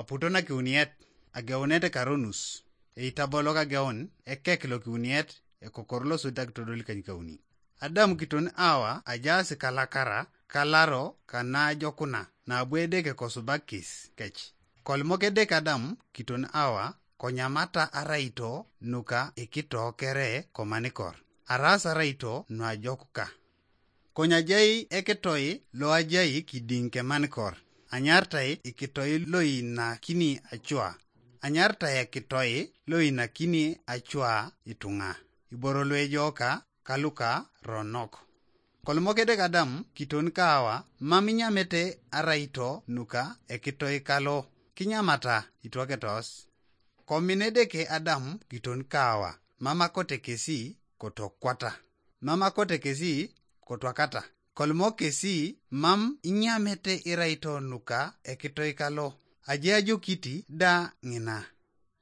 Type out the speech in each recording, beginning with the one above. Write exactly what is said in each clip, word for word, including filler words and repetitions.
Puto na kiuniet, ageunet karonus, eitabolok ageun ekek lokiuniet, ekokor losoit akitodol kanykauni. Adam kiton Awa ajaas kalakara, kalaro kanajokuna, nabo Edeke kosubakis kec. Kolimok Edeke Adam kiton Awa, konyamata araito nuka ikito kere komanikor, aras araito nuajok ka. Konyajai ekitoi loajai kidiŋ kemanikor, anyartai ikitoi loinakini acua, anyartai ekitoi loinakini acua ituŋa, iboro luejooka kaluka ronok. Kolimok Edeke Adam kiton Kaawa, mam inyamete araito nuka ekitoi kalo, kinyamata itwaketos. Komin Edeke Adam kiton Kaawa, mam akote kesi kotokwata, mam akote kesi kotwakata. Kolimok kesi, mam inyamete iraito nuka ekitoi kalo, aje ajokiti da ŋina.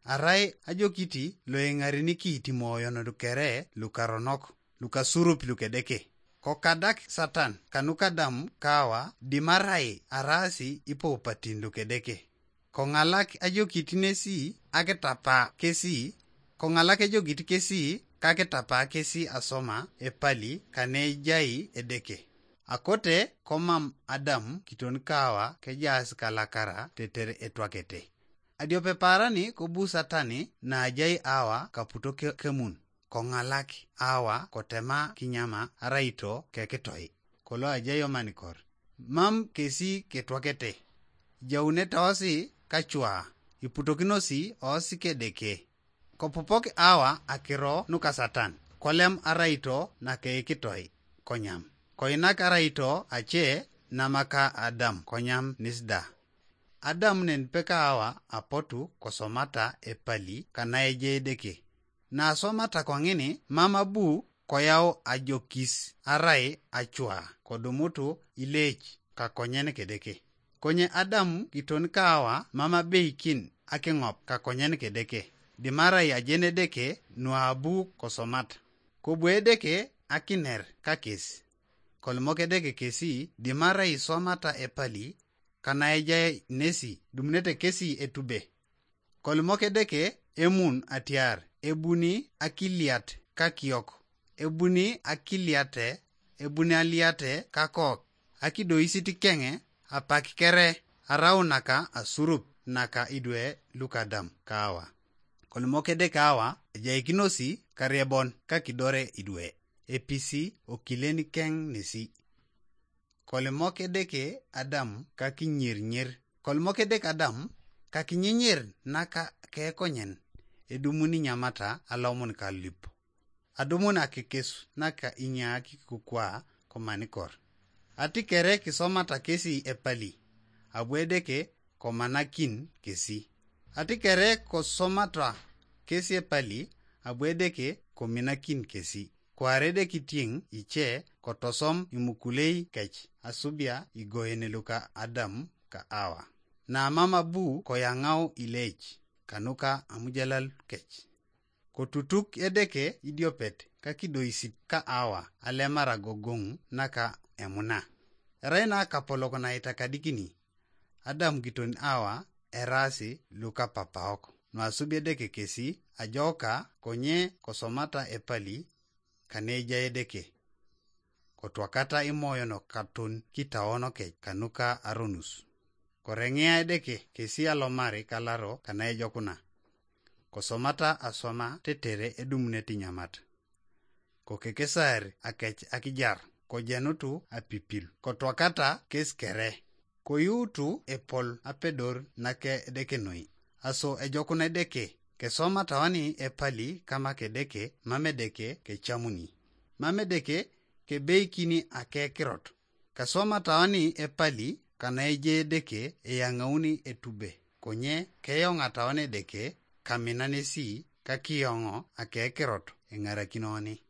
Arai ajokiti loeŋarini kiitimoyon kere lukaronok, lukasurup lukedeke. Kokadak Satan kanuka Adam Kaawa dimarai araasi ipoupatin lukedeke. Koŋalak ajokit nesi akitapa kesi, koŋalak ejokit kesi kakitapa kesi asoma epali kanejai Edeke. Akote komam Adam kiton Kaawa kejaas kalakara tetere etwakete. Adiope paarani kobu Satani naajai Awa kaputo ke-, kemun, koŋalak Awa kotema kinyama araito kekitoi, kolo ajai omanikor. Mam kesi ketwakete, jaunete osi kacua, iputokinosi osi kedeke. Kopopok Awa akiro nuka Satan, kolem araito nakeikitoi, konyam. Koinak araito ace namaka Adam, konyam nisda. Adam nen peka Awa apotu kosomata epali kanaeje Edeke. Nasomata koŋini mam abu koyau ajokis arai acua kodumutu ileec kakonyen kedeke. Konye Adam kiton Kaawa mam abeikin akiŋop kakonyen kedeke, dimarai ajen Edeke nuabu kosomat. Kobu Edeke akiner kakes. Kolimok Edeke kesi dimarai isomata epali kanaejai nesi, dumunete kesi etube. Kolimok Edeke emun atiar ebuni akiliat kakiok, ebuni akiliate, ebuni aliate kakok, akidoisit keŋe apak kere arau naka asurup naka idwe luka Adam Kaawa. Kolimok Edeke Awa ejaikinosi kariebon kakidore idwe, episi okilen keŋ nesi. Kolimok Edeke Adam kakinyirnyir. Kolimok Edeke Adam kakinyinyir naka kekonyen, edumuni nyamata alomon kalip. Adumun akekes naka inyaaki kukwa komanikor. Ati kere kisomata kesi epali, abu Edeke komanakin kesi. Ati kere kosomata kesi epali, abu Edeke kominakin kesi. Kwaar Edeke itiŋ ice kotosom imukulei kec asubia igoen luka Adam ka Awa. Namam abu koyaŋau ileec kanuka amujalal kec. Kotutuk Edeke idiopet kakidoisit ka Awa alemar agogoŋ naka emuna. Erai nakapolok naitakadikini, Adam kiton Awa eraasi lukapapaok, nuasubi Edeke kesi ajoka konye kosomata epali kanejai Edeke. Kotwakata imoyon katon kitaonokec kanuka aronus. Koreŋea Edeke kesi alomari kalaro kanaejokuna. Kosomata aswama tetere edumunete inyamat. Kokekesar akec akijar, kojenutu apipil, kotwakata kes kere. Koyuutu epol apedor nake Edeke noi. Aso ejokuna Edeke, kesoma tawani epali kama kedeke, mam Edeke kecamuni. Mam Edeke kebeikini akekirot. Kesoma tawani epali kanaeje Edeke eyaŋauni etube, konye keyoŋa tawani Edeke kaminan esi kakiyoŋo akekirot eŋarakinoni.